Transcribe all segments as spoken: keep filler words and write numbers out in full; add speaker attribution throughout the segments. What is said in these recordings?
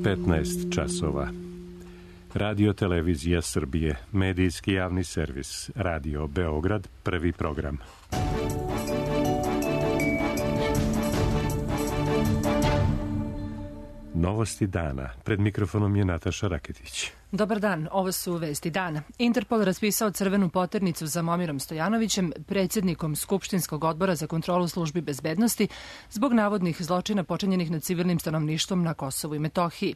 Speaker 1: petnaest časova. Radio Televizija Srbije, medijski javni servis, Radio Beograd, prvi program. Novosti dana. Pred mikrofonom je Nataša Raketić.
Speaker 2: Dobar dan, ovo su vesti dana. Interpol raspisao crvenu poternicu za Momirom Stojanovićem, predsjednikom Skupštinskog odbora za kontrolu službi bezbednosti, zbog navodnih zločina počinjenih nad civilnim stanovništvom na Kosovu i Metohiji.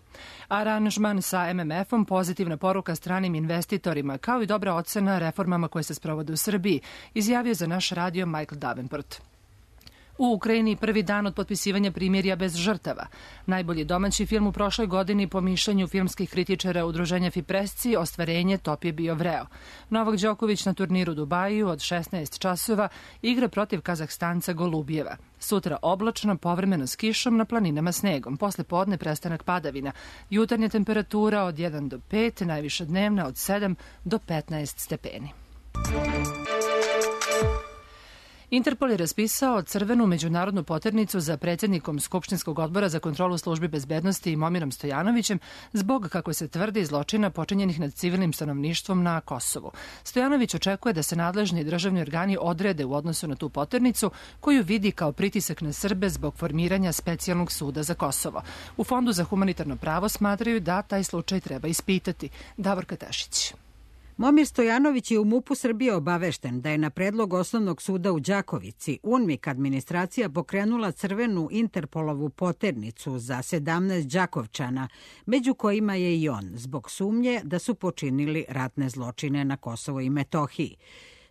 Speaker 2: Aranžman sa M M F-om, pozitivna poruka stranim investitorima, kao i dobra ocena reformama koje se sprovode u Srbiji, izjavio za naš radio Michael Davenport. U Ukrajini prvi dan od potpisivanja primirja bez žrtava. Najbolji domaći film u prošloj godini po mišljenju filmskih kritičara udruženja Fipresci, ostvarenje Top je bio vreo. Novak Đoković na turniru Dubaju od šesnaest časova igra protiv Kazahstanca Golubijeva. Sutra oblačno, povremeno s kišom, na planinama snegom. Posle podne prestanak padavina. Jutarnja temperatura od jedan do pet, najviša dnevna od sedam do petnaest stepeni. Interpol je raspisao crvenu međunarodnu poternicu za predsjednikom Skupštinskog odbora za kontrolu službi bezbednosti i Momirom Stojanovićem zbog, kako se tvrdi, zločina počinjenih nad civilnim stanovništvom na Kosovu. Stojanović očekuje da se nadležni državni organi odrede u odnosu na tu poternicu, koju vidi kao pritisak na Srbe zbog formiranja specijalnog suda za Kosovo. U Fondu za humanitarno pravo smatraju da taj slučaj treba ispitati. Davorka Tešić.
Speaker 3: Momir Stojanović je u MUP-u Srbije obavešten da je na predlog Osnovnog suda u Đakovici UNMIK administracija pokrenula crvenu Interpolovu poternicu za sedamnaest Đakovčana, među kojima je i on, zbog sumnje da su počinili ratne zločine na Kosovo i Metohiji.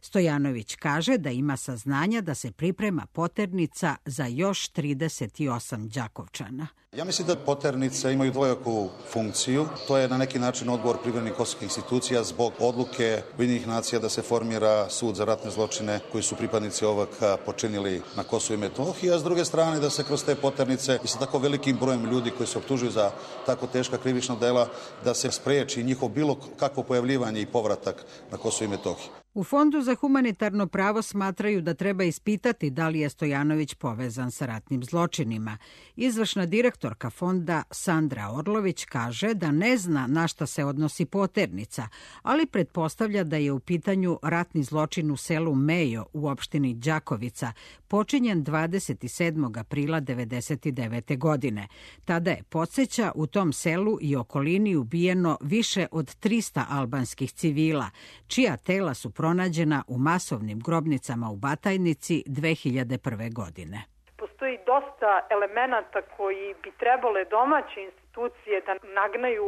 Speaker 3: Stojanović kaže da ima saznanja da se priprema poternica za još trideset osam Đakovčana.
Speaker 4: Ja mislim da poternice imaju dvojaku funkciju. To je na neki način odgovor privremenih kosovskih institucija zbog odluke Ujedinjenih nacija da se formira sud za ratne zločine koji su pripadnici ovog počinili na Kosovu i Metohiji, a s druge strane da se kroz te poternice i sa tako velikim brojem ljudi koji se optužuju za tako teška krivična dela da se spreči njihov bilo kakvo pojavljivanje i povratak na Kosovo i Metohiju.
Speaker 3: U Fondu za humanitarno pravo smatraju da treba ispitati da li je Stojanović povezan sa ratnim zločinima. Izvršna direktorka fonda Sandra Orlović kaže da ne zna na šta se odnosi poternica, ali pretpostavlja da je u pitanju ratni zločin u selu Mejo u opštini Đakovica, počinjen dvadeset sedmog aprila devedeset devete. godine. Tada je, podsjeća, u tom selu i okolini ubijeno više od trista albanskih civila, čija tela su pronađena u masovnim grobnicama u Batajnici dve hiljade prve. godine.
Speaker 5: Postoji dosta elemenata koji bi trebale domaće institucije da nagnaju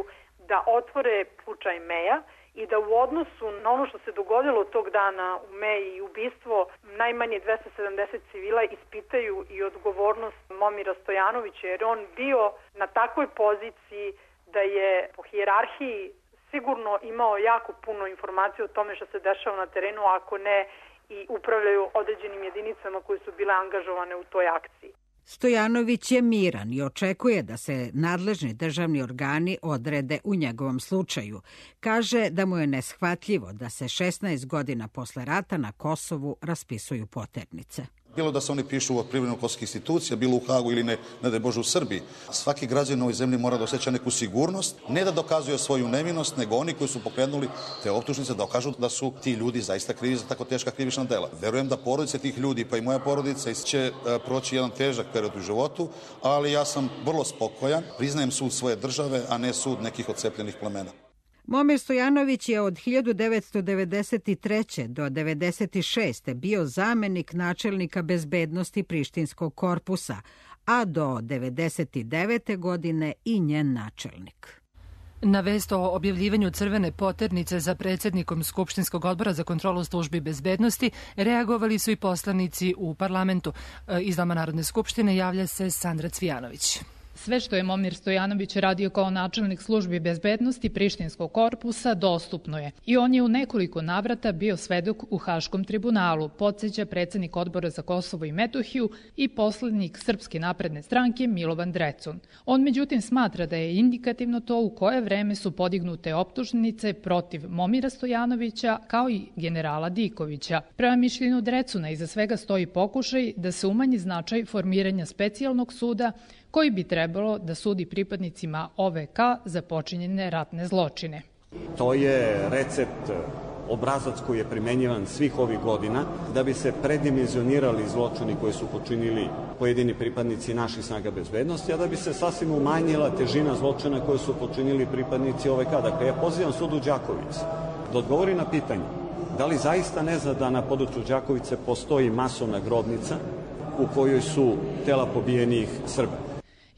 Speaker 5: da otvore slučaj Meja i da u odnosu na ono što se dogodilo tog dana u Meji i ubistvo najmanje dvesta sedamdeset civila ispitaju i odgovornost Momira Stojanovića, jer on bio na takvoj poziciji da je po hijerarhiji sigurno imao jako puno informacija o tome što se dešava na terenu, ako ne i upravljaju određenim jedinicama koje su bile angažovane u toj akciji.
Speaker 3: Stojanović je miran i očekuje da se nadležni državni organi odrede u njegovom slučaju. Kaže da mu je neshvatljivo da se šesnaest godina posle rata na Kosovu raspisuju poternice.
Speaker 4: Bilo da se oni pišu od privremenih kosovskih institucija, bilo u Hagu ili ne, ne da je Bože u Srbiji. Svaki građanin u ovoj zemlji mora da osjeća neku sigurnost, ne da dokazuje svoju nevinost, nego oni koji su pokrenuli te optužnice da dokažu da su ti ljudi zaista krivi za tako teška krivična dela. Verujem da porodice tih ljudi, pa i moja porodica, će proći jedan težak period u životu, ali ja sam vrlo spokojan, priznajem sud svoje države, a ne sud nekih odcepljenih plemena.
Speaker 3: Momir Stojanović je od hiljadu devetsto devedeset treće. do devedeset šeste. bio zamenik načelnika bezbednosti Prištinskog korpusa, a do devedeset devete. godine i njen načelnik.
Speaker 2: Na vest o objavljivanju crvene poternice za predsjednikom Skupštinskog odbora za kontrolu službi bezbednosti reagovali su i poslanici u parlamentu. Iz Doma Narodne skupštine javlja se Sandra Cvijanović.
Speaker 6: Sve što je Momir Stojanović radio kao načelnik službi bezbednosti Prištinskog korpusa dostupno je i on je u nekoliko navrata bio svedok u Haškom tribunalu, podsjeća predsjednik odbora za Kosovo i Metohiju i poslednik Srpske napredne stranke Milovan Drecun. On međutim smatra da je indikativno to u koje vreme su podignute optužnice protiv Momira Stojanovića kao i generala Dikovića. Prema mišljenju Drecuna iza svega stoji pokušaj da se umanji značaj formiranja specijalnog suda koji bi trebao trebalo da sudi pripadnicima O V K za počinjene ratne zločine.
Speaker 7: To je recept, obrazac koji je primenjivan svih ovih godina da bi se predimenzionirali zločini koji su počinili pojedini pripadnici naših snaga bezbednosti, a da bi se sasvim umanjila težina zločina koje su počinili pripadnici O V K. Dakle, ja pozivam sud u Đakovici da odgovori na pitanje da li zaista ne zna da na području Đakovice postoji masovna grobnica u kojoj su tela pobijenih Srba.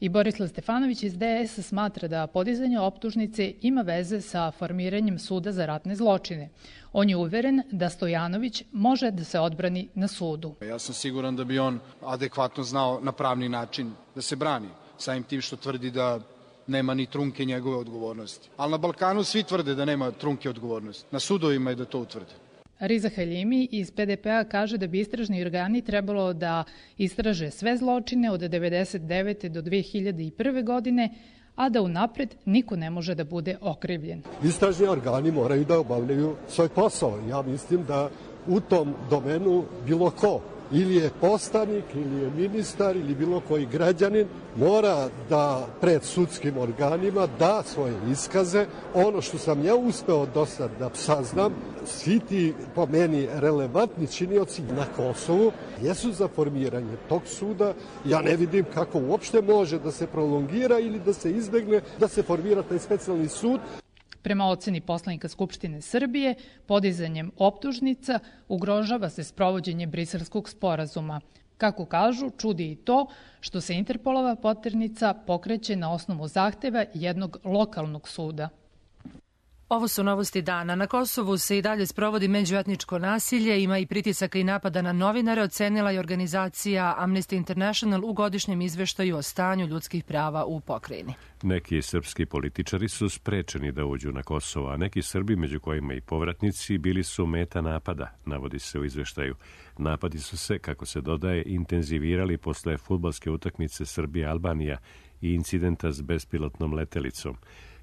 Speaker 6: I Borislav Stefanović iz D S smatra da podizanje optužnice ima veze sa formiranjem suda za ratne zločine. On je uveren da Stojanović može da se odbrani na sudu.
Speaker 8: Ja sam siguran da bi on adekvatno znao na pravni način da se brani, samim tim što tvrdi da nema ni trunke njegove odgovornosti. Ali na Balkanu svi tvrde da nema trunke odgovornosti. Na sudovima je da to utvrde.
Speaker 6: Riza Haljimi iz P D P-a kaže da bi istražni organi trebalo da istraže sve zločine od devedeset devete do dve hiljade prve. godine, a da unapred niko ne može da bude okrivljen.
Speaker 9: Istražni organi moraju da obavljaju svoj posao. Ja mislim da u tom domenu bilo ko, ili je poslanik, ili je ministar, ili bilo koji građanin, mora da pred sudskim organima da svoje iskaze. Ono što sam ja uspeo do sad da saznam, svi ti po meni relevantni činioci na Kosovu jesu za formiranje tog suda. Ja ne vidim kako uopšte može da se prolongira ili da se izbegne da se formira taj specijalni sud.
Speaker 6: Prema oceni poslanika Skupštine Srbije, podizanjem optužnica ugrožava se sprovođenje Briselskog sporazuma. Kako kažu, čudi i to što se Interpolova poternica pokreće na osnovu zahteva jednog lokalnog suda.
Speaker 2: Ovo su novosti dana. Na Kosovu se i dalje sprovodi međuetničko nasilje, ima i pritisaka i napada na novinare, ocenila je organizacija Amnesty International u godišnjem izveštaju o stanju ljudskih prava u pokrajini.
Speaker 1: Neki srpski političari su sprečeni da uđu na Kosovo, a neki Srbi, među kojima i povratnici, bili su meta napada, navodi se u izveštaju. Napadi su se, kako se dodaje, intenzivirali posle fudbalske utakmice Srbija-Albanija i incidenta s bespilotnom letelicom.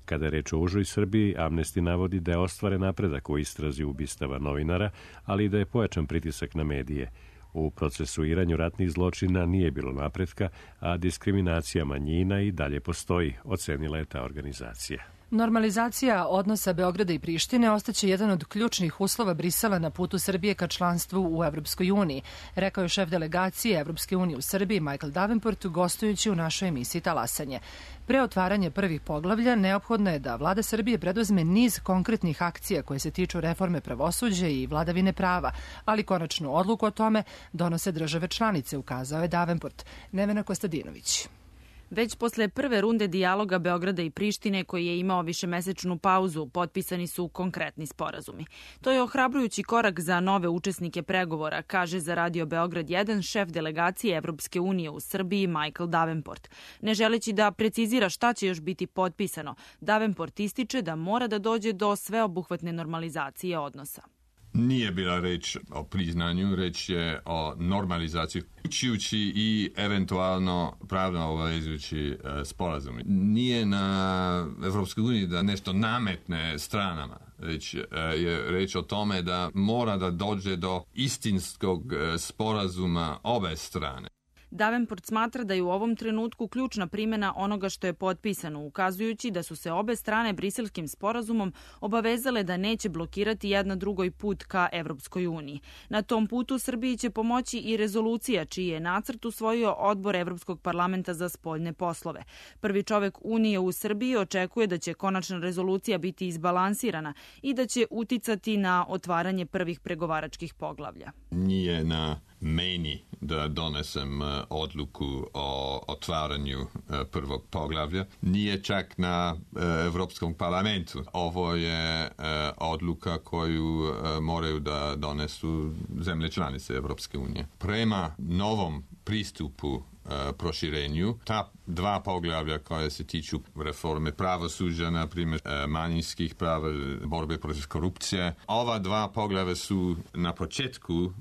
Speaker 1: Kada je reč o užoj Srbiji, Amnesty navodi da je ostvaren napredak u istrazi ubistava novinara, ali i da je pojačan pritisak na medije. U procesuiranju ratnih zločina nije bilo napretka, a diskriminacija manjina i dalje postoji, ocenila je ta organizacija.
Speaker 2: Normalizacija odnosa Beograda i Prištine ostaće jedan od ključnih uslova Brisela na putu Srbije ka članstvu u Evropskoj uniji, rekao je šef delegacije Evropske unije u Srbiji Michael Davenport gostujući u našoj emisiji Talasanje. Pre otvaranja prvih poglavlja neophodno je da vlada Srbije preduzme niz konkretnih akcija koje se tiču reforme pravosuđa i vladavine prava, ali konačnu odluku o tome donose države članice, ukazao je Davenport. Nevena Kostadinović.
Speaker 10: Već posle prve runde dijaloga Beograda i Prištine, koji je imao višemesečnu pauzu, potpisani su konkretni sporazumi. To je ohrabrujući korak za nove učesnike pregovora, kaže za Radio Beograd jedan šef delegacije Evropske unije u Srbiji Michael Davenport. Ne želeći da precizira šta će još biti potpisano, Davenport ističe da mora da dođe do sveobuhvatne normalizacije odnosa.
Speaker 11: Nije bila reč o priznanju, reč je o normalizaciji, uključujući i eventualno pravno obavezujući sporazum. Nije na Evropskoj uniji da nešto nametne stranama, već je reč o tome da mora da dođe do istinskog sporazuma obe strane.
Speaker 10: Davenport smatra da je u ovom trenutku ključna primjena onoga što je potpisano, ukazujući da su se obe strane Briselskim sporazumom obavezale da neće blokirati jedna drugoj put ka Evropskoj uniji. Na tom putu Srbiji će pomoći i rezolucija čiji je nacrt usvojio Odbor Evropskog parlamenta za spoljne poslove. Prvi čovek Unije u Srbiji očekuje da će konačna rezolucija biti izbalansirana i da će uticati na otvaranje prvih pregovaračkih poglavlja.
Speaker 11: Nije na meni da donesem odluku o otvaranju prvog poglavlja. Nije čak na Evropskom parlamentu. Ovo je odluka koju moraju da donesu zemlje članice Evropske unije. Prema novom pristupu proširenju, ta dva poglavlja koje se tiču reforme pravosuđa, na primjer manjinskih prava, borbe protiv korupcije, ova dva poglavlja su na početku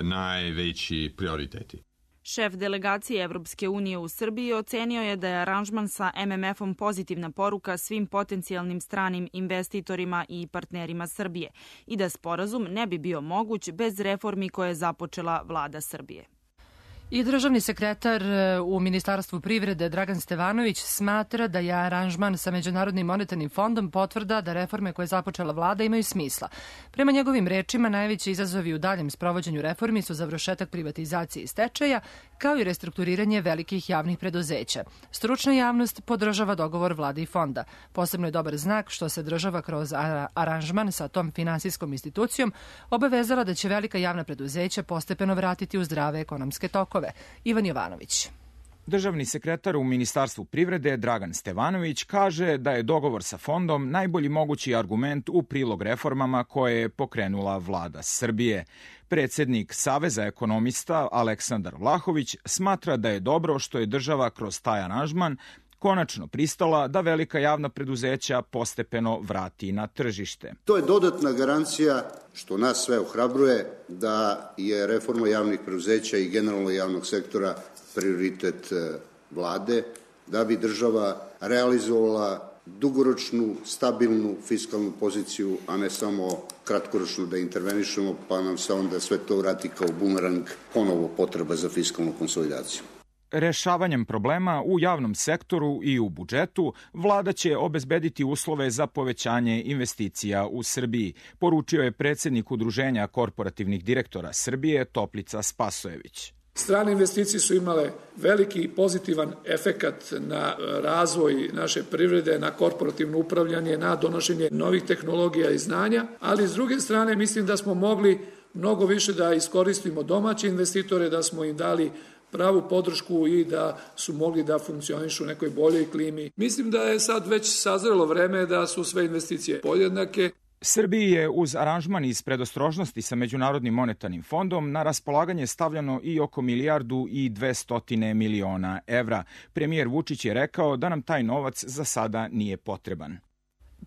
Speaker 11: najveći prioriteti.
Speaker 10: Šef delegacije Evropske unije u Srbiji ocenio je da je aranžman sa M M F-om pozitivna poruka svim potencijalnim stranim investitorima i partnerima Srbije i da sporazum ne bi bio moguć bez reformi koje je započela vlada Srbije.
Speaker 2: I državni sekretar u Ministarstvu privrede Dragan Stevanović smatra da je aranžman sa Međunarodnim monetarnim fondom potvrda da reforme koje je započela vlada imaju smisla. Prema njegovim rečima, najveći izazovi u daljem sprovođenju reformi su završetak privatizacije i stečaja, kao i restrukturiranje velikih javnih preduzeća. Stručna javnost podržava dogovor vlade i fonda. Posebno je dobar znak što se država kroz aranžman sa tom finansijskom institucijom obavezala da će velika javna preduzeća postepeno vratiti u zdrave ekonomske tokove. Ivan Jovanović.
Speaker 12: Državni sekretar u Ministarstvu privrede Dragan Stevanović kaže da je dogovor sa fondom najbolji mogući argument u prilog reformama koje je pokrenula vlada Srbije. Predsednik Saveza ekonomista Aleksandar Vlahović smatra da je dobro što je država kroz taj aranžman konačno pristala da velika javna preduzeća postepeno vrati na tržište.
Speaker 13: To je dodatna garancija, što nas sve ohrabruje, da je reforma javnih preduzeća i generalno javnog sektora prioritet vlade, da bi država realizovala dugoročnu, stabilnu fiskalnu poziciju, a ne samo kratkoročno da intervenišemo, pa nam se onda sve to vrati kao bumerang, ponovo potreba za fiskalnu konsolidaciju.
Speaker 12: Rešavanjem problema u javnom sektoru i u budžetu, vlada će obezbediti uslove za povećanje investicija u Srbiji, poručio je predsednik Udruženja korporativnih direktora Srbije Toplica Spasojević.
Speaker 14: Strane investicije su imale veliki pozitivan efekat na razvoj naše privrede, na korporativno upravljanje, na donošenje novih tehnologija i znanja, ali s druge strane mislim da smo mogli mnogo više da iskoristimo domaće investitore, da smo im dali pravu podršku i da su mogli da funkcionišu u nekoj boljoj klimi. Mislim da je sad već sazrelo vreme da su sve investicije podjednake.
Speaker 12: Srbiji je uz aranžman iz predostrožnosti sa Međunarodnim monetarnim fondom na raspolaganje stavljeno i oko milijardu i dvestotine miliona evra. Premijer Vučić je rekao da nam taj novac za sada nije potreban.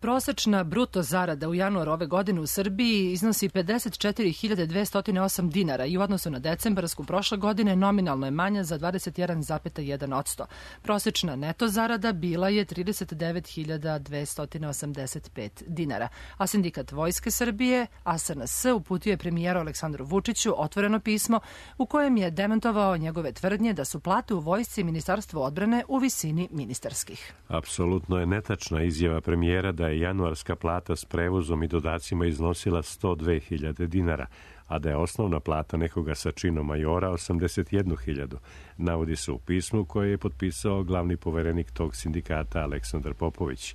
Speaker 2: Prosečna bruto zarada u januaru ove godine u Srbiji iznosi pedeset četiri hiljade dvesta osam dinara i u odnosu na decembarsku prošle godine nominalno je manja za dvadeset jedan zarez jedan posto. Prosečna neto zarada bila je trideset devet hiljada dvesta osamdeset pet dinara, a Sindikat Vojske Srbije, A S N S, uputio je premijeru Aleksandru Vučiću otvoreno pismo u kojem je demantovao njegove tvrdnje da su plate u vojsci i Ministarstvu odbrane u visini ministarskih.
Speaker 1: Apsolutno je netačna izjava premijera da je januarska plata s prevozom i dodacima iznosila sto dve hiljade dinara, a da je osnovna plata nekoga sa činom majora osamdeset jednu hiljadu. Navodi se u pismu koje je potpisao glavni poverenik tog sindikata Aleksandar Popović.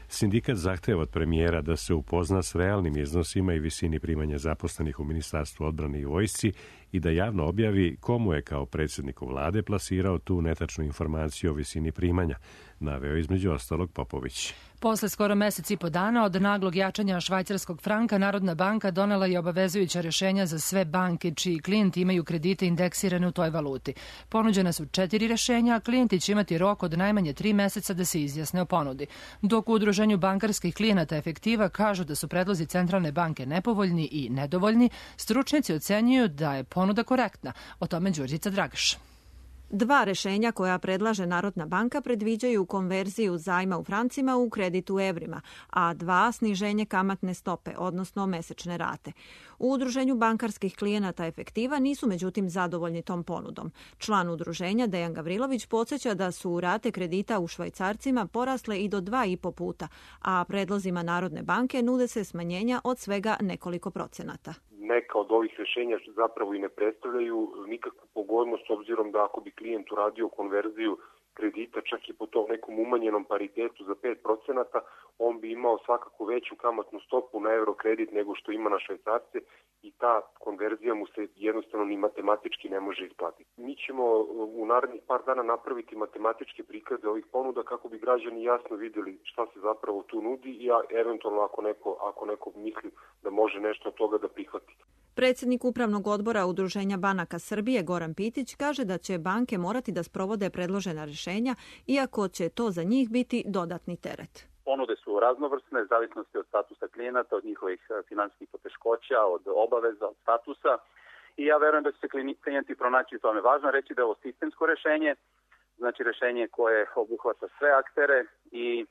Speaker 1: Sindikat zahteva od premijera da se upozna s realnim iznosima i visini primanja zaposlenih u Ministarstvu odbrane i vojsci i da javno objavi komu je kao predsjedniku vlade plasirao tu netačnu informaciju o visini primanja, naveo između ostalog Popović.
Speaker 2: Posle skoro mesec i po dana od naglog jačanja švajcarskog franka, Narodna banka donela je obavezujuća rješenja za sve banke čiji klijenti imaju kredite indeksirane u toj valuti. Ponuđena su četiri rješenja, a klijenti će imati rok od najmanje tri meseca da se izjasne o ponudi. Dok u Udruženju bankarskih klijenata Efektiva kažu da su predlozi Centralne banke nepovoljni i nedovoljni, stručnjaci ocenjuju da je ponuda korektna. O tome Đurđica Dragaš.
Speaker 15: Dva rešenja koja predlaže Narodna banka predviđaju konverziju zajma u francima u kredit u evrima, a dva sniženje kamatne stope, odnosno mesečne rate. U Udruženju bankarskih klijenata Efektiva nisu međutim zadovoljni tom ponudom. Član udruženja Dejan Gavrilović podsjeća da su rate kredita u švajcarcima porasle i do dva i po puta, a predlozima Narodne banke nude se smanjenja od svega nekoliko procenata.
Speaker 16: Neka od ovih rješenja zapravo i ne predstavljaju nikakvu pogodnost, s obzirom da ako bi klijent uradio konverziju kredita čak i po tom nekom umanjenom paritetu za pet procenata, on bi imao svakako veću kamatnu stopu na euro kredit nego što ima na švajcarce i ta konverzija mu se jednostavno ni matematički ne može isplatiti. Mi ćemo u narednih par dana napraviti matematičke prikaze ovih ponuda kako bi građani jasno vidjeli šta se zapravo tu nudi i eventualno ako neko, ako neko misli da može nešto od toga da prihvati.
Speaker 15: Predsjednik Upravnog odbora Udruženja banaka Srbije Goran Pitić kaže da će banke morati da sprovode predložena rješenja, iako će to za njih biti dodatni teret.
Speaker 17: Ponude su raznovrsne, zavisnosti od statusa klijenata, od njihovih finansijskih poteškoća, od obaveza, od statusa i ja verujem da će se klijenti pronaći u tome. Važno reći da je ovo sistemsko rješenje, znači rješenje koje obuhvata sve aktere i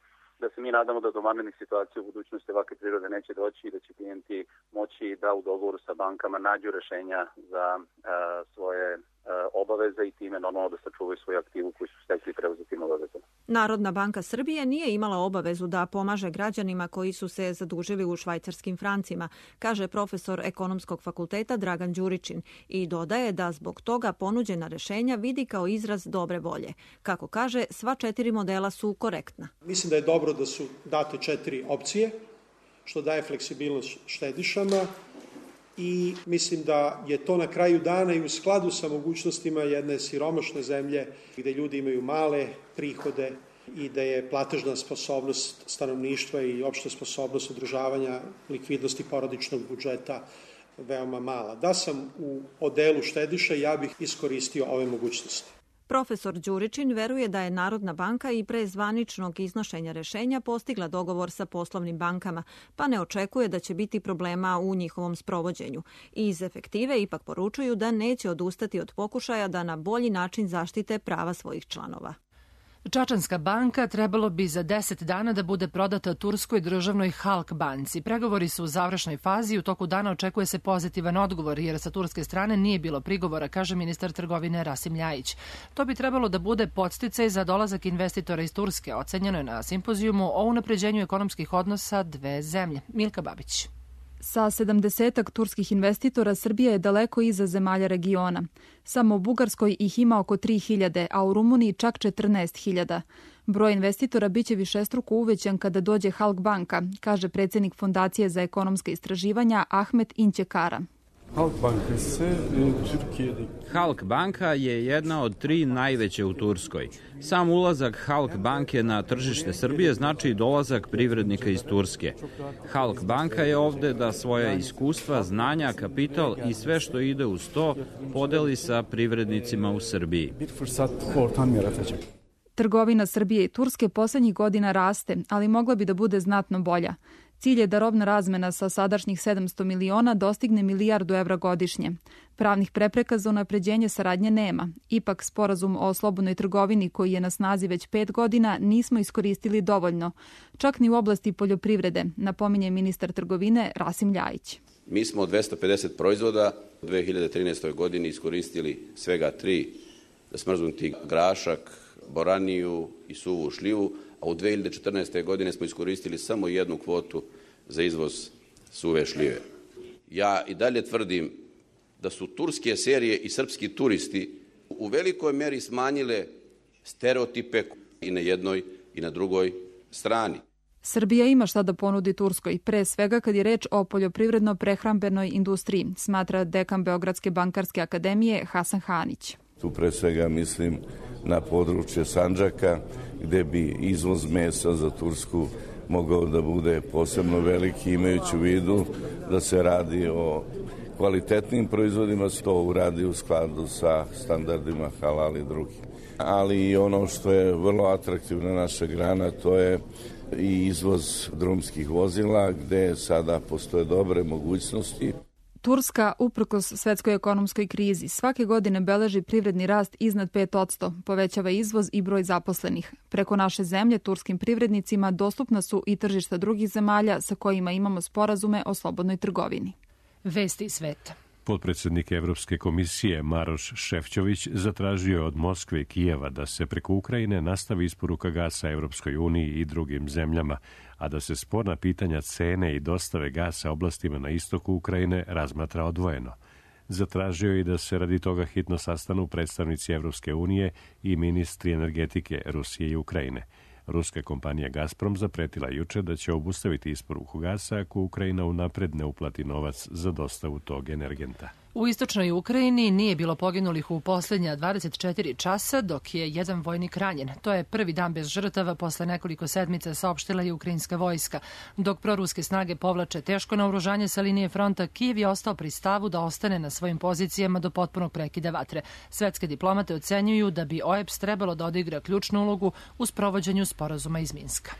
Speaker 17: da se mi nadamo da do vanrednih situacija u budućnosti ovakve prirode neće doći i da će klijenti moći da u dogovoru sa bankama nađu rešenja za uh, svoje uh, obaveze i time normalno da sačuvaju svoju aktivu koju su stekli preuzetim obavezama.
Speaker 15: Narodna banka Srbije nije imala obavezu da pomaže građanima koji su se zadužili u švajcarskim francima, kaže profesor Ekonomskog fakulteta Dragan Đuričin i dodaje da zbog toga ponuđena rešenja vidi kao izraz dobre volje. Kako kaže, sva četiri modela su korektna.
Speaker 18: Mislim da je dobro da su date četiri opcije, što daje fleksibilnost štedišama i mislim da je to na kraju dana i u skladu sa mogućnostima jedne siromašne zemlje gde ljudi imaju male prihode i da je platežna sposobnost stanovništva i opšta sposobnost održavanja likvidnosti porodičnog budžeta veoma mala. Da sam u odelu štediša, ja bih iskoristio ove mogućnosti.
Speaker 15: Profesor Đuričin veruje da je Narodna banka i pre zvaničnog iznošenja rešenja postigla dogovor sa poslovnim bankama, pa ne očekuje da će biti problema u njihovom sprovođenju. Iz efektive ipak poručuju da neće odustati od pokušaja da na bolji način zaštite prava svojih članova.
Speaker 2: Čačanska banka trebalo bi za deset dana da bude prodata turskoj državnoj Halk banci. Pregovori su u završnoj fazi i u toku dana očekuje se pozitivan odgovor, jer sa turske strane nije bilo prigovora, kaže ministar trgovine Rasim Ljajić. To bi trebalo da bude podsticaj za dolazak investitora iz Turske, ocenjeno je na simpozijumu o unapređenju ekonomskih odnosa dve zemlje. Milka Babić.
Speaker 19: Sa sedamdesetak turskih investitora Srbija je daleko iza zemalja regiona. Samo u Bugarskoj ih ima oko tri hiljade, a u Rumuniji čak četrnaest hiljada. Broj investitora biće višestruko uvećan kada dođe Halk banka, kaže predsjednik Fondacije za ekonomska istraživanja Ahmet Inčekara.
Speaker 20: Halk banka je jedna od tri najveće u Turskoj. Sam ulazak Halk banke na tržište Srbije znači dolazak privrednika iz Turske. Halk banka je ovde da svoja iskustva, znanja, kapital i sve što ide uz to podeli sa privrednicima u Srbiji.
Speaker 19: Trgovina Srbije i Turske poslednjih godina raste, ali mogla bi da bude znatno bolja. Cilj je da robna razmena sa sadašnjih sedamsto miliona dostigne milijardu evra godišnje. Pravnih prepreka za unapređenje saradnje nema. Ipak, sporazum o slobodnoj trgovini koji je na snazi već pet godina nismo iskoristili dovoljno. Čak ni u oblasti poljoprivrede, napominje ministar trgovine Rasim Ljajić.
Speaker 21: Mi smo od dvesta pedeset proizvoda u dve hiljade trinaestoj godini iskoristili svega tri, smrznuti grašak, boraniju i suvu šljivu, a u dve hiljade četrnaestoj godine smo iskoristili samo jednu kvotu za izvoz suve šljive. Ja i dalje tvrdim da su turske serije i srpski turisti u velikoj meri smanjile stereotipe i na jednoj i na drugoj strani.
Speaker 19: Srbija ima šta da ponudi Turskoj, pre svega kad je reč o poljoprivredno-prehrambenoj industriji, smatra dekan Beogradske bankarske akademije Hasan Hanić.
Speaker 22: Tu pre svega mislim na područje Sandžaka, gde bi izvoz mesa za Tursku mogao da bude posebno veliki, imajući u vidu da se radi o kvalitetnim proizvodima, se to uradi u skladu sa standardima halal i drugim. Ali i ono što je vrlo atraktivna naša grana, to je i izvoz drumskih vozila, gde sada postoje dobre mogućnosti.
Speaker 19: Turska, uprkos svetskoj ekonomskoj krizi, svake godine beleži privredni rast iznad pet posto, povećava izvoz i broj zaposlenih. Preko naše zemlje turskim privrednicima dostupna su i tržišta drugih zemalja sa kojima imamo sporazume o slobodnoj trgovini.
Speaker 2: Vesti sveta.
Speaker 1: Potpredsjednik Evropske komisije Maroš Šefčović zatražio je od Moskve i Kijeva da se preko Ukrajine nastavi isporuka gasa Evropskoj uniji i drugim zemljama, a da se sporna pitanja cene i dostave gasa oblastima na istoku Ukrajine razmatra odvojeno. Zatražio je i da se radi toga hitno sastanu predstavnici Evropske unije i ministri energetike Rusije i Ukrajine. Ruska kompanija Gazprom zapretila juče da će obustaviti isporuku gasa ako Ukrajina unapred ne uplati novac za dostavu tog energenta.
Speaker 2: U istočnoj Ukrajini nije bilo poginulih u posljednja dvadeset četiri časa, dok je jedan vojnik ranjen. To je prvi dan bez žrtava posle nekoliko sedmica, saopštila je ukrajinska vojska. Dok proruske snage povlače teško naoružanje sa linije fronta, Kijev je ostao pri stavu da ostane na svojim pozicijama do potpunog prekida vatre. Svetske diplomate ocenjuju da bi O E B S trebalo da odigra ključnu ulogu u sprovođenju sporazuma iz Minska.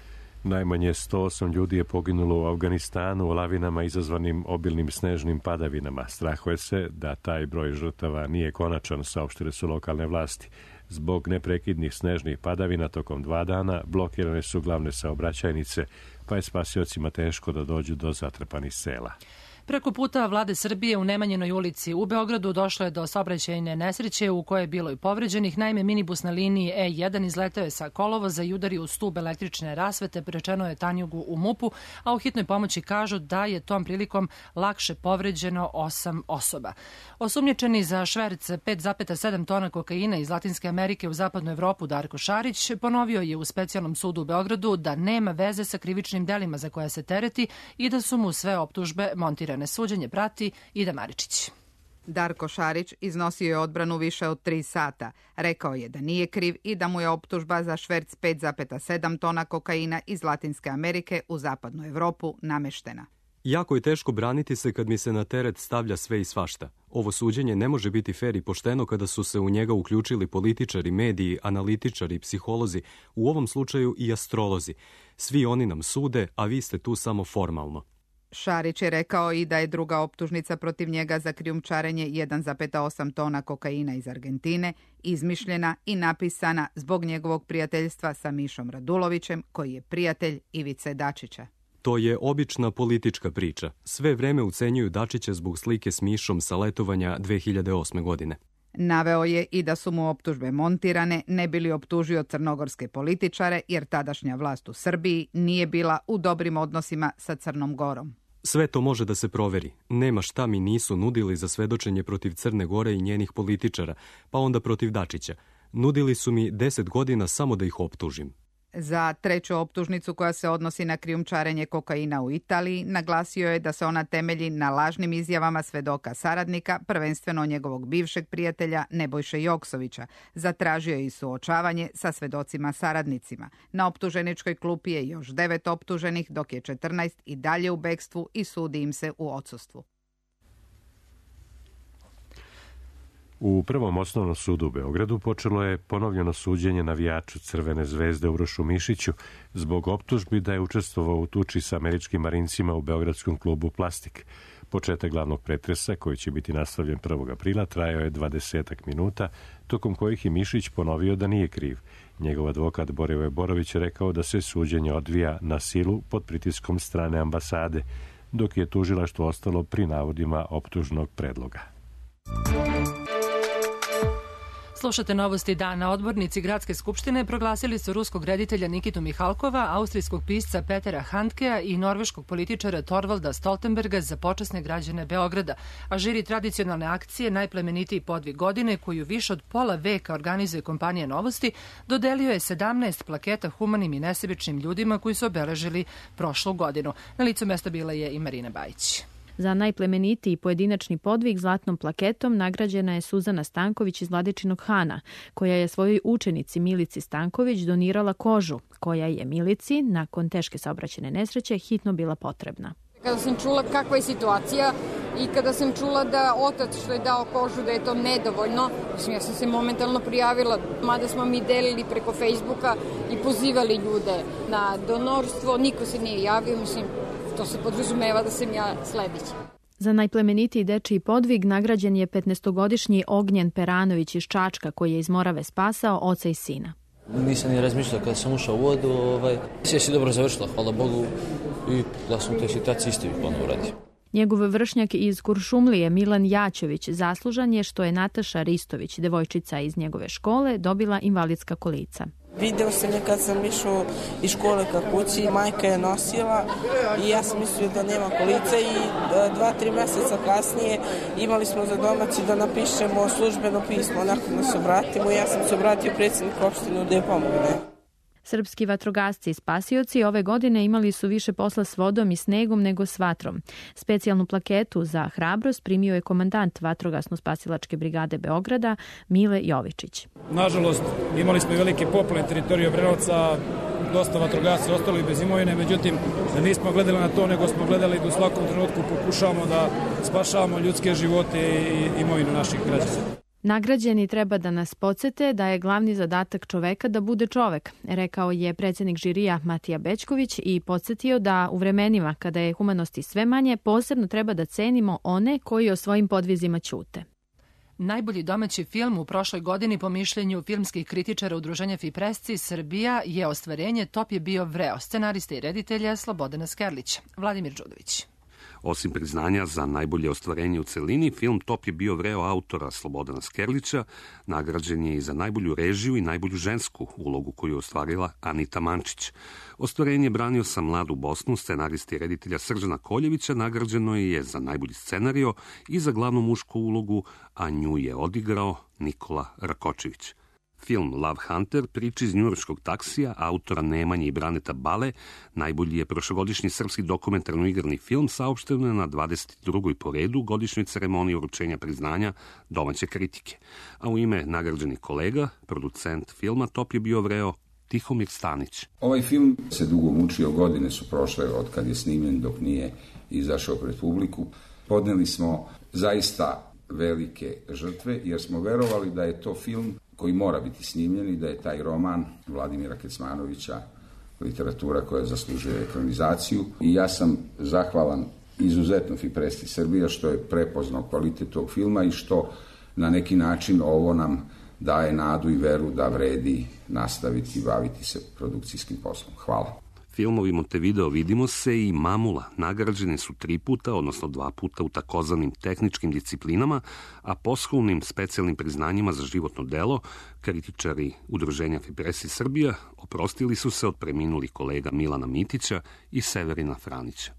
Speaker 1: Najmanje sto osam ljudi je poginulo u Afganistanu u lavinama izazvanim obilnim snežnim padavinama. Strahuje se da taj broj žrtava nije konačan, saopštile su lokalne vlasti. Zbog neprekidnih snežnih padavina tokom dva dana blokirane su glavne saobraćajnice, pa je spasiocima teško da dođu do zatrpanih sela.
Speaker 2: Preko puta vlade Srbije u Nemanjinoj ulici u Beogradu došlo je do saobraćajne nesreće u kojoj je bilo i povređenih. Naime, minibus na liniji E jedan izleteo je sa kolovoza i udario u stub električne rasvete, prečeno je tanjugu u MUP-u, a u hitnoj pomoći kažu da je tom prilikom lakše povređeno osam osoba. Osumnjičeni za šverc pet zarez sedam tona kokaina iz Latinske Amerike u zapadnu Evropu Darko Šarić ponovio je u specijalnom sudu u Beogradu da nema veze sa krivičnim delima za koja se tereti i da su mu sve optužbe montirane. Suđenje prati Ida Maričić.
Speaker 4: Darko Šarić iznosio je odbranu više od tri sata. Rekao je da nije kriv i da mu je optužba za šverc pet zarez sedam tona kokaina iz Latinske Amerike u zapadnu Evropu nameštena.
Speaker 5: Jako je teško braniti se kad mi se na teret stavlja sve i svašta. Ovo suđenje ne može biti fer i pošteno kada su se u njega uključili političari, mediji, analitičari, psiholozi, u ovom slučaju i astrolozi. Svi oni nam sude, a vi ste tu samo formalno.
Speaker 4: Šarić je rekao i da je druga optužnica protiv njega za krijumčarenje jedan zarez osam tona kokaina iz Argentine izmišljena i napisana zbog njegovog prijateljstva sa Mišom Radulovićem, koji je prijatelj Ivice Dačića.
Speaker 5: To je obična politička priča. Sve vreme ucenjuju Dačića zbog slike s Mišom sa letovanja dve hiljade osme. godine.
Speaker 4: Naveo je i da su mu optužbe montirane, ne bili optužio crnogorske političare, jer tadašnja vlast u Srbiji nije bila u dobrim odnosima sa Crnom Gorom.
Speaker 5: Sve to može da se proveri. Nema šta mi nisu nudili za svedočenje protiv Crne Gore i njenih političara, pa onda protiv Dačića. Nudili su mi deset godina samo da ih optužim.
Speaker 4: Za treću optužnicu koja se odnosi na krijumčarenje kokaina u Italiji, naglasio je da se ona temelji na lažnim izjavama svedoka saradnika, prvenstveno njegovog bivšeg prijatelja Nebojše Joksovića. Zatražio je i suočavanje sa svedocima saradnicima. Na optuženičkoj klupi je još devet optuženih, dok je četrnaest i dalje u bekstvu i sudi im se u odsustvu.
Speaker 1: U Prvom osnovnom sudu u Beogradu počelo je ponovljeno suđenje navijaču Crvene zvezde Urošu Mišiću zbog optužbi da je učestvovao u tuči sa američkim marincima u beogradskom klubu Plastik. Početak glavnog pretresa, koji će biti nastavljen prvog aprila, trajao je dvadesetak minuta, tokom kojih je Mišić ponovio da nije kriv. Njegov advokat Borivoje Borović je rekao da se suđenje odvija na silu pod pritiskom strane ambasade, dok je tužilaštvo ostalo pri navodima optužnog predloga.
Speaker 2: Slušate novosti dana. Odbornici Gradske skupštine proglasili su ruskog reditelja Nikitu Mihalkova, austrijskog pisca Petera Handkea i norveškog političara Torvalda Stoltenberga za počasne građane Beograda. A žiri tradicionalne akcije Najplemenitiji podvig godine, koju više od pola veka organizuje kompanija Novosti, dodelio je sedamnaest plaketa humanim i nesebičnim ljudima koji su obeležili prošlu godinu. Na licu mesta bila je i Marina Bajić.
Speaker 23: Za najplemenitiji pojedinačni podvig zlatnom plaketom nagrađena je Suzana Stanković iz Vladičinog Hana, koja je svojoj učenici Milici Stanković donirala kožu, koja je Milici, nakon teške saobraćajne nesreće, hitno bila potrebna.
Speaker 24: Kada sam čula kakva je situacija i kada sam čula da otac što je dao kožu da je to nedovoljno, mislim, ja sam se momentalno prijavila, mada smo mi delili preko Facebooka i pozivali ljude na donorstvo, niko se nije javio, mislim, to se podrazumeva da sam ja sledeći.
Speaker 23: Za najplemenitiji dečiji podvig nagrađen je petnaestogodišnji Ognjen Peranović iz Čačka, koji je iz Morave spasao oca i sina.
Speaker 25: Nisam ni razmišljao kada sam ušao u vodu, ovaj, sve si dobro završila, hvala Bogu, i da sam u toj situaciji isto bih ponovno uradio.
Speaker 23: Njegov vršnjak iz Kuršumlije, Milan Jačović, zaslužan je što je Nataša Ristović, devojčica iz njegove škole, dobila invalidska kolica.
Speaker 26: Video sam je kad sam išao iz škole ka kući, majka je nosila i ja sam mislio da nema kolica i dva, tri meseca kasnije imali smo za domaći da napišemo službeno pismo, onako da se obratimo i ja sam se obratio predsjedniku opštine da je pomogne.
Speaker 23: Srpski vatrogasci i spasioci ove godine imali su više posla s vodom i snegom nego s vatrom. Specijalnu plaketu za hrabrost primio je komandant Vatrogasno-spasilačke brigade Beograda Mile Jovičić.
Speaker 27: Nažalost, imali smo i velike poplave na teritoriju Obrenovca, dosta vatrogasci ostali bez imovine, međutim, nismo gledali na to, nego smo gledali da u svakom trenutku pokušavamo da spašavamo ljudske živote i imovinu naših građana.
Speaker 23: Nagrađeni treba da nas podsete da je glavni zadatak čoveka da bude čovek, rekao je predsjednik žirija Matija Bećković i podsjetio da u vremenima kada je humanosti sve manje, posebno treba da cenimo one koji o svojim podvizima ćute.
Speaker 2: Najbolji domaći film u prošloj godini po mišljenju filmskih kritičara udruženja Fipresci Srbija je ostvarenje Top je bio vreo, scenarista i reditelja Slobodana Skerlića. Vladimir Đudović.
Speaker 3: Osim priznanja za najbolje ostvarenje u celini, film Top je bio vreo autora Slobodana Skerlića, nagrađen je i za najbolju režiju i najbolju žensku ulogu koju je ostvarila Anita Mančić. Ostvarenje branio sam Mladu Bosnu, scenarista i reditelja Srđana Koljevića, nagrađeno je za najbolji scenario i za glavnu mušku ulogu, a nju je odigrao Nikola Rakočević. Film Love Hunter, priča iz njujorškog taksija, autora Nemanje i Braneta Bale, najbolji je prošlogodišnji srpski dokumentarno-igrani film, saopšteno je na dvadeset drugoj po redu godišnjoj ceremoniji uručenja priznanja domaće kritike. A u ime nagrađenih kolega, producent filma Top je bio vreo Tihomir Stanić.
Speaker 6: Ovaj film se dugo mučio, godine su prošle od kad je snimljen dok nije izašao pred publiku. Podneli smo zaista velike žrtve jer smo verovali da je to film koji mora biti snimljen i da je taj roman Vladimira Kecmanovića literatura koja zaslužuje ekranizaciju. I ja sam zahvalan izuzetno Fipresci Srbija što je prepoznao kvalitet tog filma i što na neki način ovo nam daje nadu i veru da vredi nastaviti i baviti se produkcijskim poslom. Hvala.
Speaker 3: Filmovi Montevideo Vidimo se i Mamula nagrađeni su tri puta, odnosno dva puta u takozvanim tehničkim disciplinama, a posthumnim specijalnim priznanjima za životno delo kritičari udruženja Fipresci Srbija oprostili su se od preminulih kolega Milana Mitića i Severina Franića.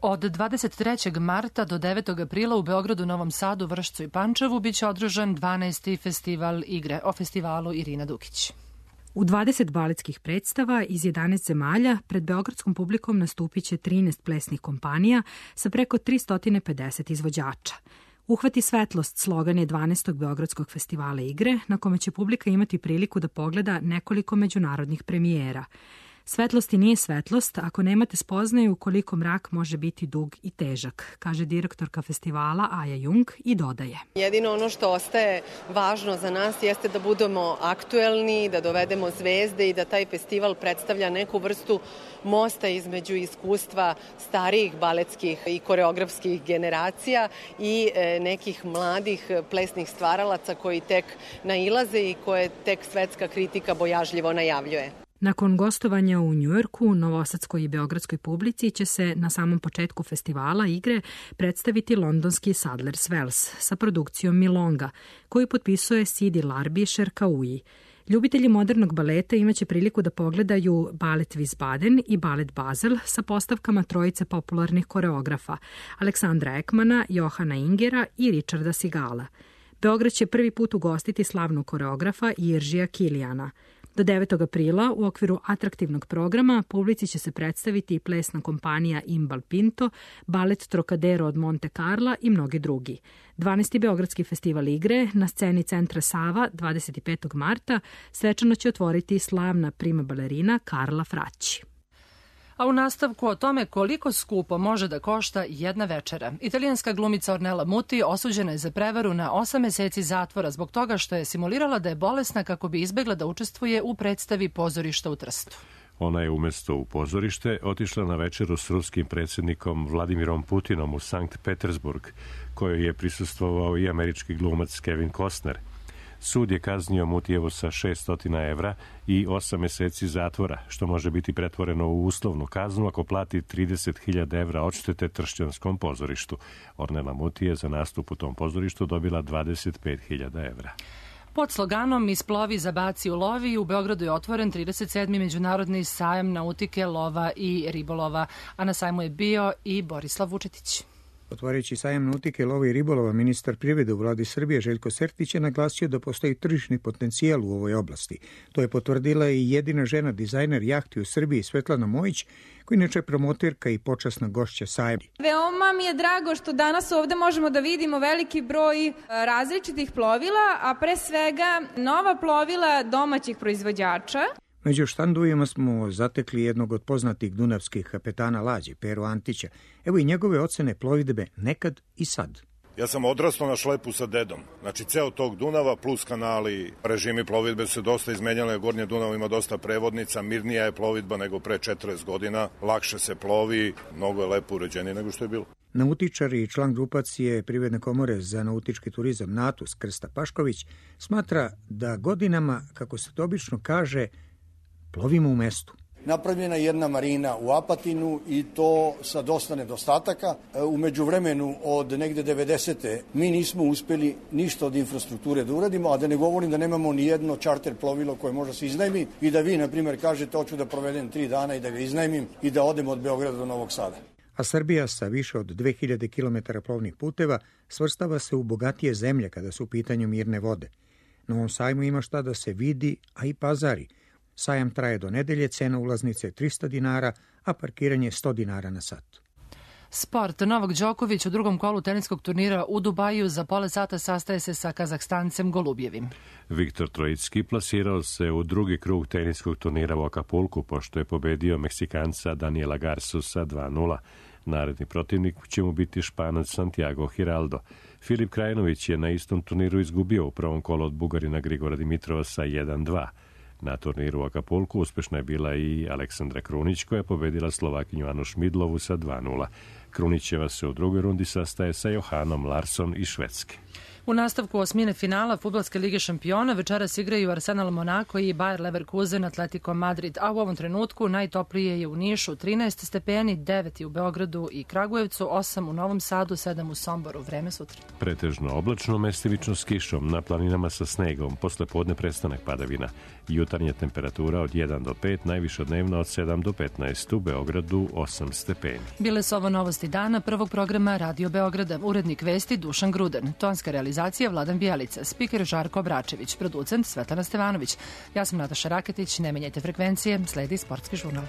Speaker 2: Od dvadeset trećeg marta do devetog aprila u Beogradu, Novom Sadu, Vršcu i Pančevu biće održan dvanaesti festival igre. O festivalu Irina Dukić.
Speaker 7: U dvadeset baletskih predstava iz jedanaest zemalja pred beogradskom publikom nastupit će trinaest plesnih kompanija sa preko tristo pedeset izvođača. Uhvati svetlost slogan je dvanaestog Beogradskog festivala igre, na kome će publika imati priliku da pogleda nekoliko međunarodnih premijera. Svetlost i nije svetlost ako nemate spoznaju koliko mrak može biti dug i težak, kaže direktorka festivala Aja Jung i dodaje.
Speaker 8: Jedino ono što ostaje važno za nas jeste da budemo aktuelni, da dovedemo zvezde i da taj festival predstavlja neku vrstu mosta između iskustva starijih baletskih i koreografskih generacija i nekih mladih plesnih stvaralaca koji tek nailaze i koje tek svetska kritika bojažljivo najavljuje.
Speaker 7: Nakon gostovanja u Njujorku, novosadskoj i beogradskoj publici će se na samom početku festivala igre predstaviti londonski Sadler's Wells sa produkcijom Milonga, koju potpisuje Sidi Larbi Šerkauji. Ljubitelji modernog baleta imaće priliku da pogledaju balet Wiesbaden i balet Basel sa postavkama trojice popularnih koreografa Aleksandra Ekmana, Johana Ingera i Richarda Sigala. Beograd će prvi put ugostiti slavnog koreografa Jiržija Kilijana. Do devetog aprila u okviru atraktivnog programa publici će se predstaviti i plesna kompanija Imbal Pinto, balet Trocadero od Monte Carla i mnogi drugi. dvanaesti Beogradski festival igre na sceni Centra Sava dvadeset petog marta svečano će otvoriti slavna prima balerina Karla Fraći.
Speaker 2: A u nastavku o tome koliko skupo može da košta jedna večera. Italijanska glumica Ornella Muti osuđena je za prevaru na osam meseci zatvora zbog toga što je simulirala da je bolesna kako bi izbegla da učestvuje u predstavi Pozorišta u Trstu.
Speaker 1: Ona je umesto u pozorište otišla na večeru s ruskim predsjednikom Vladimirom Putinom u Sankt Petersburg, kojoj je prisustvovao i američki glumac Kevin Costner. Sud je kaznio Mutijevu sa šessto evra i osam meseci zatvora, što može biti pretvoreno u uslovnu kaznu ako plati trideset hiljada evra odštete Tršćanskom pozorištu. Ornella Muti je za nastup u tom pozorištu dobila dvadeset pet hiljada evra.
Speaker 2: Pod sloganom Isplovi, zabaci, ulovi u Beogradu je otvoren trideset sedmi Međunarodni sajam nautike, lova i ribolova, a na sajmu je bio i Borislav Vučetić.
Speaker 9: Otvoreći sajam nautike, lova i ribolova, ministar privrede u vladi Srbije Željko Sertić je naglasio da postoji tržišni potencijal u ovoj oblasti. To je potvrdila i jedina žena dizajner jahti u Srbiji Svetlana Mojić, koja inače je promoterka i počasna gošća sajma.
Speaker 10: Veoma mi je drago što danas ovde možemo da vidimo veliki broj različitih plovila, a pre svega nova plovila domaćih proizvođača.
Speaker 9: Među štandovima smo zatekli jednog od poznatih dunavskih kapetana lađe, Peru Antića. Evo i njegove ocene plovidbe nekad i sad.
Speaker 11: Ja sam odrastao na šlepu sa dedom. Znači, ceo tog Dunava plus kanali, režimi plovidbe su dosta izmenjali. Gornje Dunav ima dosta prevodnica, mirnija je plovidba nego pre četrdeset godina, lakše se plovi, mnogo je lepo uređenije nego što je bilo.
Speaker 9: Nautičar i član grupacije Privredne komore za nautički turizam NATUS Krsta Pašković smatra da godinama, kako se to obično kaže, plovimo u mestu.
Speaker 12: Napravljena je jedna marina u Apatinu i to sa dosta nedostataka. U međuvremenu od negde devedesete mi nismo uspeli ništa od infrastrukture da uradimo, a da ne govorim da nemamo ni jedno čarter plovilo koje može se iznajmi i da vi, na primjer, kažete hoću da provedem tri dana i da ga iznajmim i da odem od Beograda do Novog Sada.
Speaker 9: A Srbija sa više od dve hiljade kilometara plovnih puteva svrstava se u bogatije zemlje kada su u pitanju mirne vode. Na ovom sajmu ima šta da se vidi, a i pazari. Sajam traje do nedelje, cena ulaznice je trista dinara, a parkiranje sto dinara na sat.
Speaker 2: Sport. Novak Đoković u drugom kolu teniskog turnira u Dubaju za pola sata sastaje se sa Kazahstancem Golubjevim.
Speaker 1: Viktor Trojicki plasirao se u drugi krug teniskog turnira u Akapulku, pošto je pobedio Meksikanca Daniela Garsusa dva nula. Naredni protivnik će mu biti Španac Santiago Giraldo. Filip Krajinović je na istom turniru izgubio u prvom kolu od Bugarina Grigora Dimitrova sa jedan dva. Na turniru u Akapulku uspešna je bila i Aleksandra Krunić, koja je pobedila Slovakinju Anu Šmidlovu sa dva nula. Krunićeva se u drugoj rundi sastaje sa Johanom Larsson iz Švedske.
Speaker 2: U nastavku osmine finala Fudbalske lige šampiona večeras igraju Arsenal Monako i Bayer Leverkusen Atletico Madrid, a u ovom trenutku najtoplije je u Nišu trinaest stepeni, devet u Beogradu i Kragujevcu, osam u Novom Sadu, sedam u Somboru. Vreme sutra.
Speaker 1: Pretežno oblačno, mestimično s kišom, na planinama sa snegom, posle podne prestanak padavina. Jutarnja temperatura od jedan do pet, najviša dnevna od sedam do petnaest, u Beogradu osam stepeni.
Speaker 2: Bile su ovo novosti dana prvog programa Radio Beograda. Urednik vesti Dušan Gruden, tonska realizacija Vladan Bijelica, spiker Žarko Obračević, producent Svetlana Stevanović. Ja sam Nataša Raketić, ne menjajte frekvencije, sledi Sportski žurnal.